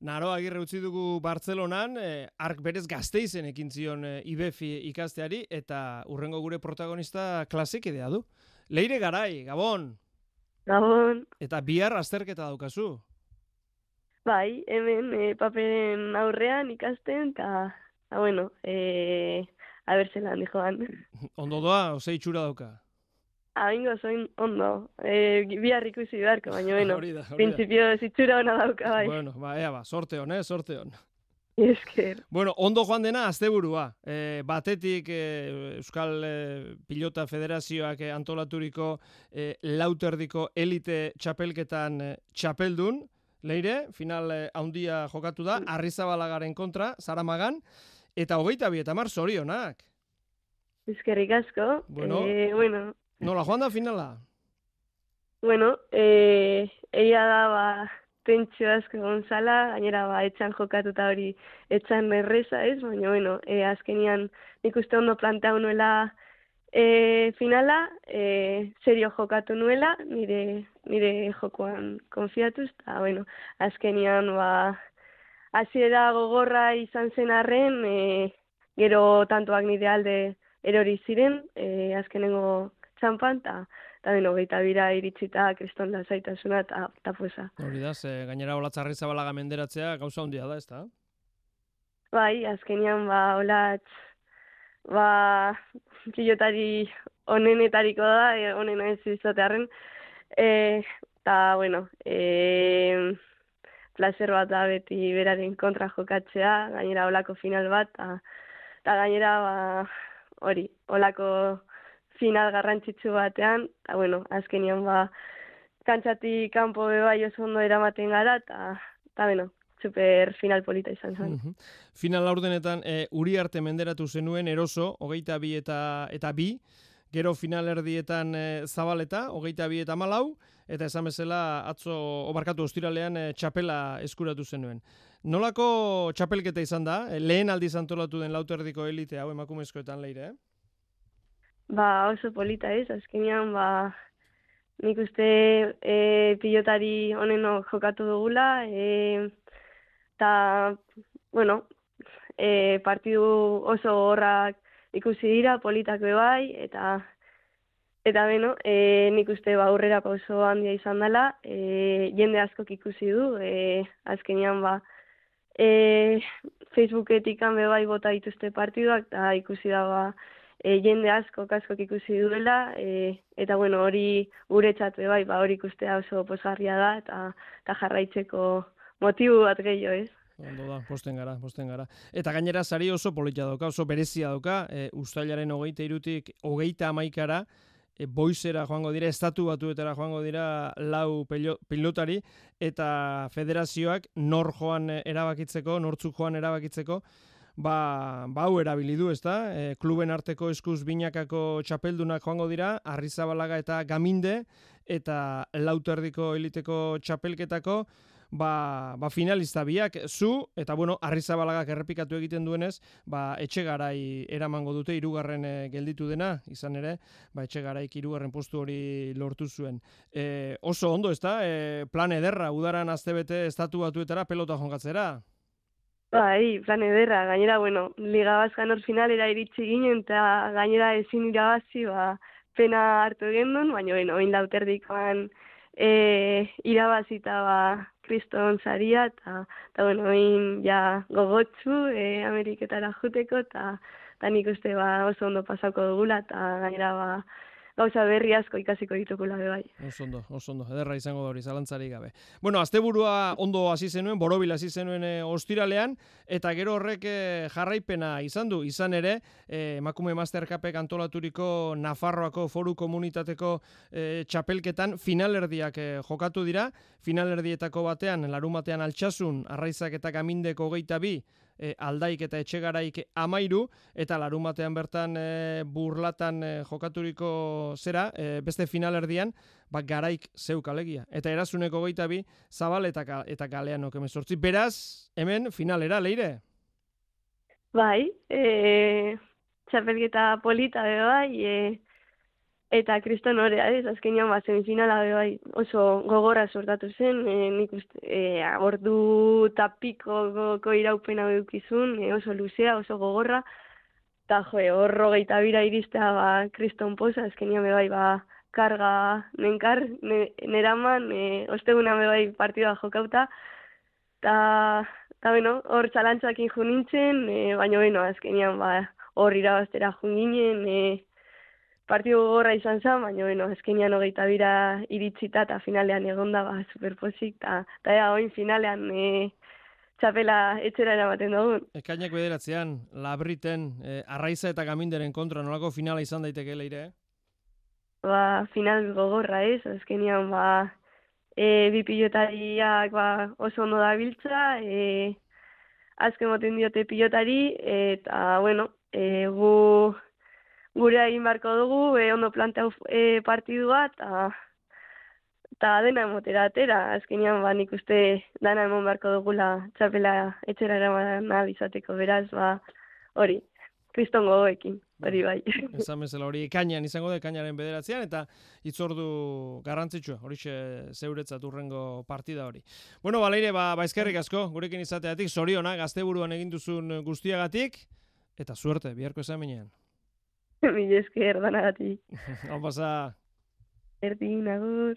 Naro Agirre utzi dugu Bartzelonan, ark berez Gasteizen ekin zion IBEFI ikasteari, eta urrengo gure protagonista klasikidea du. Leire Garai, Gabon! Gabon! Eta bihar azterketa daukazu. Bai, hemen paperen aurrean ikasten, eta, bueno, a ber zelan dijoan. Ondo doa, ose itxura dauka? Bingo, zoin ondo. Bihar ikusi beharko, baina, bueno, Hori da. printzipio zitxura hona dauka, bai. Bueno, ea sorte hon, sorte hon. Esker. Bueno, ondo joan dena asteburua. Batetik Euskal Pilota Federazioak antolaturiko lauterdiko elite txapelketan txapeldun, Leire, final handia jokatu da, Arrizabalagaren kontra, Zaramagan, eta 22 zorionak. Eskerrik asko. Bueno, nola joan da finala? Bueno, egia da, tentsio asko gonzala, gainera etxan jokatuta hori etxan erreza ez, baina, bueno, azkenian nik uste ondo planteau nuela finala, serio jokatu nuela, nire jokoan konfiatuz, eta, bueno, azkenian, hasiera gogorra izan zen arren, gero tantoak nire alde erori ziren, azkenengo txampan, eta beno, 22 iritsita kriston lasaitasuna eta poza. Hori da, gainera Olatz Arrizabalaga menderatzea gauza handia da, ezta? Bai, azkenean Olatz pilotari onenetariko da, onena ez izatearren, eta, bueno, placer bat da beti beraren kontra jokatzea, gainera olako final bat, eta gainera, hori, olako final garrantzitsu batean, eta, bueno, azkenian kantxatik kanpo bai oso ondo eramaten gara, eta, bueno, super final polita izan zen. Final laurdenetan Uriarte menderatu zenuen Eroso, 22 eta 2, gero finalerdietan Zabaleta, 22 eta 14, eta esan bezala atzo obarkatu ostiralean txapela eskuratu zenuen. Nolako txapelketa izan da? Lehen aldiz antolatu den lauterdiko elite hau emakumezkoetan, Leire, Oso polita ez, azkenean, nik uste pilotari honeno jokatu dugula, eta, bueno, partidu oso horrak ikusi dira, politak bebai, eta beno, nik uste aurrera pauso handia izan dela, jende askok ikusi du, azkenean, Facebooketik bebai bota dituzte partiduak, eta ikusi da, jende askok ikusi duela, eta bueno, hori guretzat bai, hori ikustea oso pozgarria da, eta jarraitzeko motibu bat gehiago, ez? Ondo da, posten gara. Eta gainera sari oso polita dauka, oso berezia dauka, uztailaren 23tik 31ra, boizera joango dira, estatu batuetara joango dira 4 pilotari, eta federazioak nortzuk joan erabakitzeko, hau erabili du, ezta? Kluben arteko eskuz binakako txapeldunak joango dira, Arrizabalaga eta Gaminde, eta lauterdiko eliteko txapelketako, finalista biak, zu, eta bueno, Arrizabalagak errepikatu egiten duenez, Etxegarai eramango dute, 3. gelditu dena, izan ere, Etxegaraik 3. postu hori lortu zuen. Oso ondo, ezta? Plan ederra, udaran astebete estatu batuetara pelota jongatzera. Bai, plan ederra, gainera, bueno, Liga Baskan hor finalera iritsi ginen, eta gainera ezin irabazi, pena hartu gendun, baina, bueno, oin lauterdikoan irabazita kriston saria, eta, bueno, oin gogotsu Ameriketara juteko, eta nik uste oso ondo pasako dugula, eta gainera gauza berri asko ikasiko ditukula bai. Oso ondo, ederra izango da hori, zalantzarik gabe. Bueno, asteburua ondo hasi zenuen, borobil hasi zenuen ostiralean, eta gero horrek jarraipena izan du, izan ere, emakume Mastercupek antolaturiko Nafarroako foru komunitateko txapelketan finalerdiak jokatu dira, finalerdietako batean, larumatean Altsasun, Arraizak eta Gamindeko 22, Aldaik eta Etxegaraik 13, eta larumatean bertan Burlatan jokaturiko beste finalerdian, Garaik zeuk alegia. Eta Erasuneko 22, Zabal eta Galeanok 18. Beraz, hemen finalera, Leire? Bai, txapelketa polita bai, Eta kriston horea, ez, azkenean semifinala bai oso gogorra sortatu zen, nik uste, ordu eta pikoko iraupena edukizun, oso luzea, oso gogorra, eta hor 22 iristea kriston poza, azkenean bai karga nenkar, neraman, osteguna bai partidua jokauta, eta bueno, hor txalantzakin jo nintzen, baina azkenean hor irabaztera jo ginen, partidu gogorra izan zen, baina azkenean 22 iritsita eta finalean egonda superpozik, eta oin finalean txapela etxera eramaten dugun. Ekainak 9 Labriten, Arraiza eta Gaminderen kontra nolako finala izan daiteke Leire? Final gogorra ez, azkenean bi pilotariak oso ondo dabiltza, azken moten diote pilotari, eta gure egin barko dugu, ondo planteau partidua, eta dena emotera atera, azkenean nik uste dana emon barko dugula txapela etxera eraman izateko, beraz, hori, kriston gogoekin, hori bai. Esan bezala hori ekainan izango da, ekainaren 9 eta hitzordu garrantzitsua, horixe zeuretzat urrengo partida hori. Bueno, Leire, eskerrik asko, gurekin izateatik, zorionak, gazteburuan egin duzun guztiagatik, eta suerte, biharko examinean. Mila esker danagatik. Hau pasa. Erdin, agur.